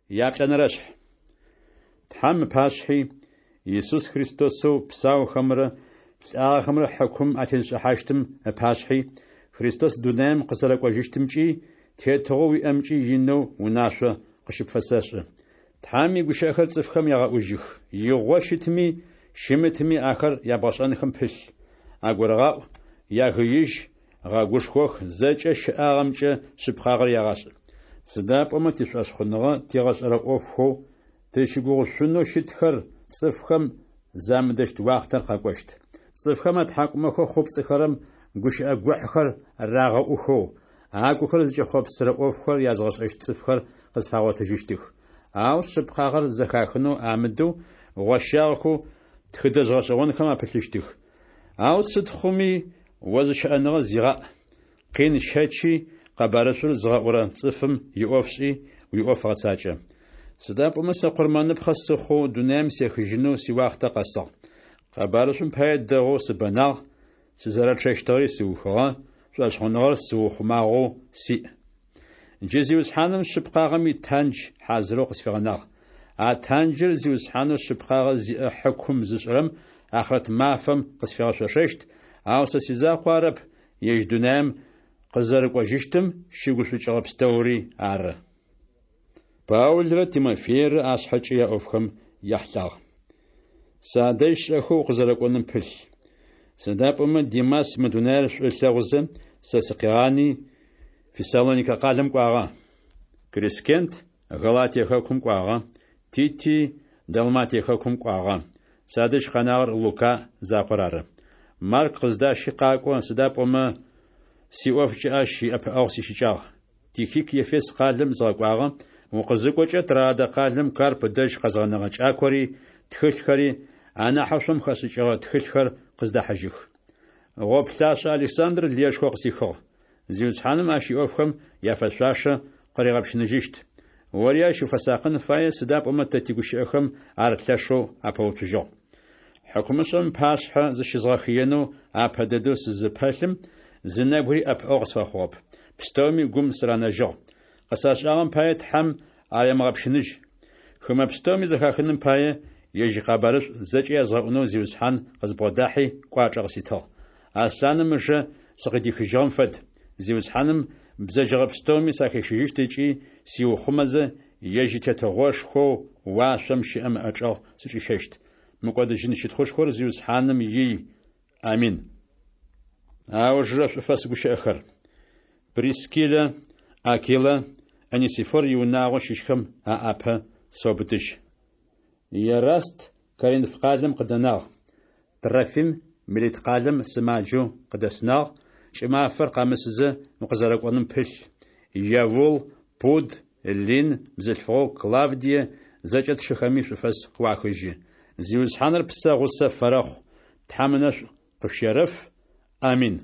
Яплӏэнэрэшъхь. Тхьэм ыпашъхьи, Исус Христосэу псаухэмрэ лӏагъэхэмрэ хьыкум атезышӏыхьащтым ыпашъхьи, Христос дунаим къызэрэкӏожьыщтымкӏи, тетыгъоу уиӏэмкӏи инэу унашъо къыщыпфэсэшӏы. Тхьэм игущыӏэхэр цӏыфхэм ягъэӏужьых. Игъо щытми, щымытми ахэр ябгъэшӏэнхэм пылъ. Агурыгъаӏу, ягыижь, гъэгушхох, зэкӏэ щыӏагъэмкӏэ шъыпкъагъэр ягъашӏ. Сыда пӏомэ тишӏошъхъуныгъэ тигъэшӏэрэ ӏофхэу тызщыгугъышъунэу щытхэр цӏыфхэм замыдэщт уахътэр къэкӏощт. Цӏыфхэм атхьакӏумэхэу хъупцӏыхэрэм гущыӏэ гохьхэр рагъэӏухэу, агухэр зыкӏэхъопсырэ ӏофхэр язгъэшӏэщт цӏыфхэр къызфагъотыжьыщтых. Ау шъыпкъагъэр зэхахынэу амыдэу, гъощагъэхэу тхыдэжъ гъэшӏэгъонхэм апылъыщтых. Ау сыд хъуми, о зыщыӏэныгъэ зигъаӏ, къин щэчи, къэбарышӏур зыгъэӏурэ цӏыфым иӏоф шӏи, уиӏоф гъэцакӏэ. Сыда пӏомэ сэ къурмэныпхъэ сыхъоу дунаим сехыжьынэу сиуахътэ къэсыгъ. Къэбарышӏум пае дэгъоу сыбэнагъ, сызэрэчъэщтыгъэри сыухыгъэ, шӏошъхъуныгъэр сыухъумагъэу сиӏ. Джы Зиусхьаным шъыпкъагъэм итандж хьазырэу къысфигъэнагъ. А танджыр Зиусхьанэу шъыпкъагъэ зиӏэ хьыкум зышӏырэм ахърэт мафэм къысфигъэшъошэщт, ау сэ сизакъоу арэп, ежь дунаим къызэрэкӏожьыщтым щыгушӏукӏыгъэ пстэури ары. Паулрэ Тимофейрэ ашъхьэкӏэ яӏофхэм яхьылӏагъ. Садэжь шӏэхэу укъызэрэкӏоным пылъ. Сыда пӏомэ Димас мы дунаир шӏу ылъэгъузэ, сэ сыкъигъани, Фессалоникэ къалэм кӏуагъэ. Крискент Галатие хэкум кӏуагъэ, Тити Далматие хэкум кӏуагъэ. Садэжь къэнагъэр Лука закъор ары. Марк къыздащи къакӏо, сыда пӏомэ сиӏофкӏэ ащ иӏэпыӏэгъу сищыкӏагъ. Тихик Ефес къалэм згъэкӏуагъэ, укъызыкӏокӏэ Троадэ къалэм Карп ыдэжь къэзгъэнэгъэ кӏакори, тхылъхэри, анахьэу шъом хэшӏыкӏыгъэ тхылъхэр къыздэхьыжьых. Гъоплъашӏэ Александр лыешхо къысихыгъ. Зиусхьаным ащ иӏофхэм яфэшъуашэ къыригъэпщыныжьыщт. Ори ащ уфэсакъын фае, сыда пӏомэ тэ тигущыӏэхэм ар лъэшэу апэуцужьыгъ. Хьыкумышӏэм ыпашъхьэ зыщызгъэхыенэу апэ дэдэу сызыпэлъым, зы нэбгыри ӏэпыӏэгъу къысфэхъугъэп. Пстэуми гум сыранэжьыгъ. Къысашӏагъэм пае Тхьэм аремыгъэпщыныжь. Хымэ пстэуми зэхахыным пае, ежь икъэбарышӏу зэкӏэ язгъэӏунэу Зиусхьан къызбгъодахьи, кӏуачӏэ къыситыгъ. Аслъаным ыжэ сыкъыдихыжьыгъэм фэд. Зиусхьаным бзэджэгъэ пстэуми сахищыжьыщт ыкӏи сиухъумэзэ, ежь и Тетыгъошхоу уашъом щыӏэм ыӏэчӏэгъ сычӏищэщт. Мыкӏодыжьын щытхъушхор Зиусхьаным ий. Амин. Аужырэ шӏуфэс гущыӏэхэр. Прискиллэ, Акилэ, Онесифор иунагъо щыщхэм аӏапэ сэубытыжь. Ераст Коринф къалэм къыдэнагъ, Трофим Милит къалэм сымаджэу къыдэсынагъ, кӏымафэр къэмысызэ укъызэрэкӏоным пылъ. Евул, Пуд, Лин, бзылъфыгъэу Клавдие, зэкӏэ тшыхэми шӏуфэс къыуахыжьы. Зиусхьаныр псэ гъусэ фэрэхъу, Тхьэм ынэшӏу къышъущерэф. Амин.